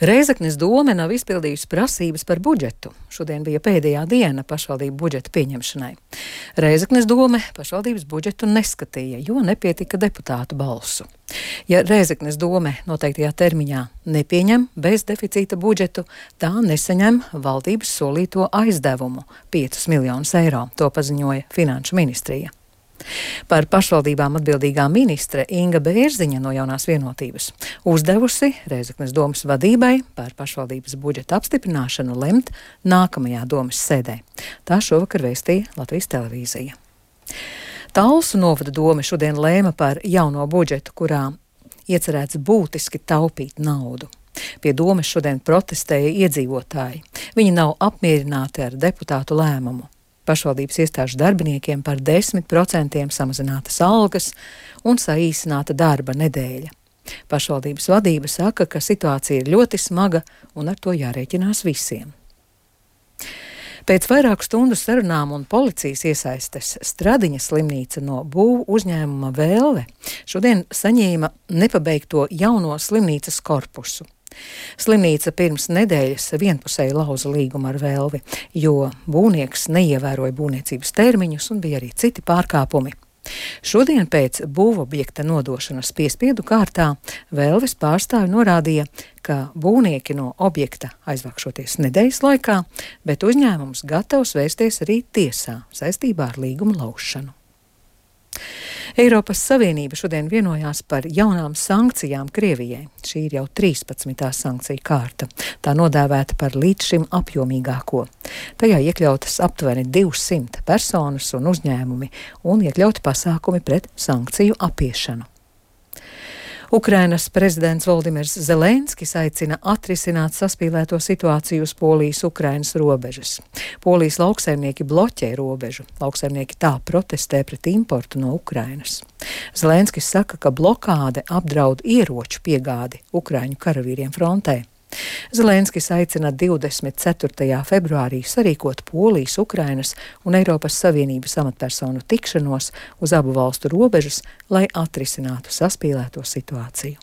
Rēzeknes dome nav izpildījusi prasības par budžetu. Šodien bija pēdējā diena pašvaldību budžeta pieņemšanai. Rēzeknes dome pašvaldības budžetu neskatīja, jo nepietika deputātu balsu. Ja Rēzeknes dome noteiktajā termiņā nepieņem bez deficīta budžetu, tā nesaņem valdības solīto aizdevumu - 5 miljonus eiro, to paziņoja Finanšu ministrija. Par pašvaldībām atbildīgā ministre Inga Bērziņa no Jaunās vienotības uzdevusi Rēzeknes domes vadībai par pašvaldības budžeta apstiprināšanu lemt nākamajā domes sēdē. Tā šovakar vēstīja Latvijas televīzija. Talsu novada dome šodien lēma par jauno budžetu, kurā iecerēts būtiski taupīt naudu. Pie domes šodien protestēja iedzīvotāji. Viņi nav apmierināti ar deputātu lēmumu. Pašvaldības iestāžu darbiniekiem par 10% samazinātas algas un saīsināta darba nedēļa. Pašvaldības vadība saka, ka situācija ir ļoti smaga un ar to jārēķinās visiem. Pēc vairāku stundu sarunām un policijas iesaistes Stradiņa slimnīca no būvu uzņēmuma Vēlve šodien saņēma nepabeigto jauno slimnīcas korpusu. Slimnīca pirms nedēļas vienpusēji lauza līgumu ar Vēlvi, jo būvnieks neievēroja būvniecības termiņus un bija arī citi pārkāpumi. Šodien pēc būvobjekta nodošanas piespiedu kārtā Vēlves pārstāvi norādīja, ka būvnieki no objekta aizvākšoties nedēļas laikā, bet uzņēmums gatavs vērsties arī tiesā saistībā ar līguma laušanu. Eiropas Savienība šodien vienojās par jaunām sankcijām Krievijai. Šī ir jau 13. sankcija kārta. Tā nodēvēta par līdz šim apjomīgāko. Tajā iekļautas aptuveni 200 personas un uzņēmumi un iekļauti pasākumi pret sankciju apiešanu. Ukrainas prezidents Voldimirs Zelenskis aicina atrisināt saspīlēto situāciju uz Polijas-Ukrainas robežas. Polijas lauksaimnieki bloķē robežu. Lauksaimnieki tā protestē pret importu no Ukrainas. Zelenskis saka, ka blokāde apdraud ieroču piegādi Ukraiņu karavīriem frontē. Zelenskis aicina 24. februārī sarīkot Polijas, Ukrainas un Eiropas Savienības amatpersonu tikšanos uz abu valstu robežas, lai atrisinātu saspīlēto situāciju.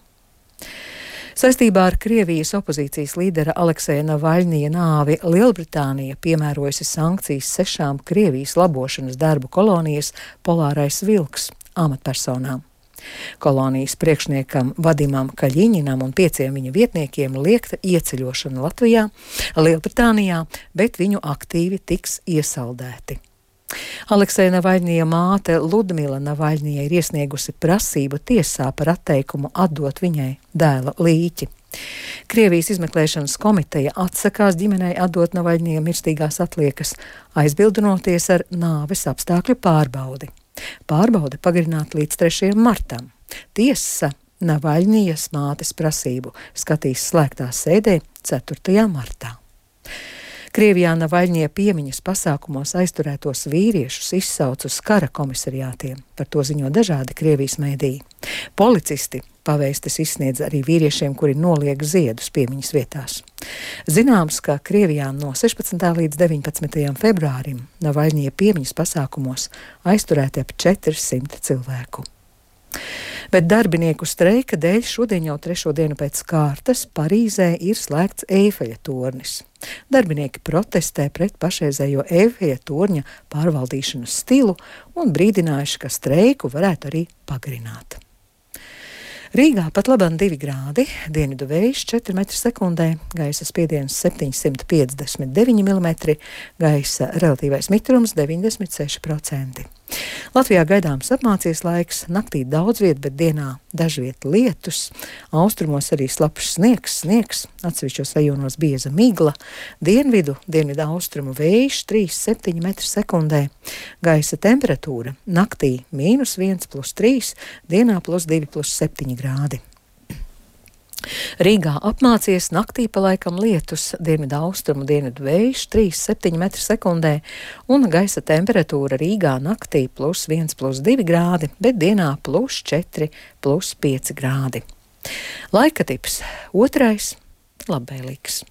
Saistībā ar Krievijas opozīcijas līdera Alekseja Navaļņija nāvi Lielbritānija piemērojusi sankcijas 6 Krievijas labošanas darbu kolonijas Polārais vilks amatpersonām. Kolonijas priekšniekam Vadimam Kaļiņinam un 5 viņa vietniekiem liekta ieceļošana Latvijā, Lielbritānijā, bet viņu aktīvi tiks iesaldēti. Alekseja Navaļņija māte Ludmila Navaļņija ir iesniegusi prasību tiesā par atteikumu atdot viņai dēla līķi. Krievijas izmeklēšanas komiteja atsakās ģimenei atdot Navaļņija mirstīgās atliekas, aizbildinoties ar nāves apstākļu pārbaudi. Pārbaude pagarināta līdz 3. martam. Tiesa Navaļņijas mātes prasību skatīs slēgtā sēdē 4. martā. Krievijā Navaļņija piemiņas pasākumos aizturētos vīriešus izsauc uz kara komisariātiem. Par to ziņo dažādi Krievijas mēdīji. Policisti pavēstis izsniedz arī vīriešiem, kuri noliek ziedus piemiņas vietās. Zināms, ka Krievijā no 16. līdz 19. februārim Navaļņija piemiņas pasākumos aizturēti ap 400 cilvēku. Bet darbinieku streika dēļ šodien jau 3. dienu pēc kārtas Parīzē ir slēgts Eifeļa tornis. Darbinieki protestē pret pašreizējo Eifeļa torņa pārvaldīšanas stilu un brīdinājuši, ka streiku varētu arī pagarināt. Rīgā pat labāk 2 grādi, dienvidu vējš 4 m/sekundē, gaisa spiediens 759 mm, gaisa relatīvais mitrums 96%. Latvijā gaidāms apmācies laiks, naktī daudz viet, bet dienā dažviet lietus, austrumos arī slapjš sniegs, atsevišķos rajonos bieza migla, dienvidu austrumu vējš 3,7 m/sekundē, gaisa temperatūra naktī -1 + 3, dienā +2 + 7 grādi. Rīgā apmācies, naktī pa laikam lietus, dienvidu austrumu dienvidu vējš 3,7 m/sekundē un gaisa temperatūra Rīgā naktī +1 + 2 grādi, bet dienā +4 + 5 grādi. Laika tips 2. labvēlīgs.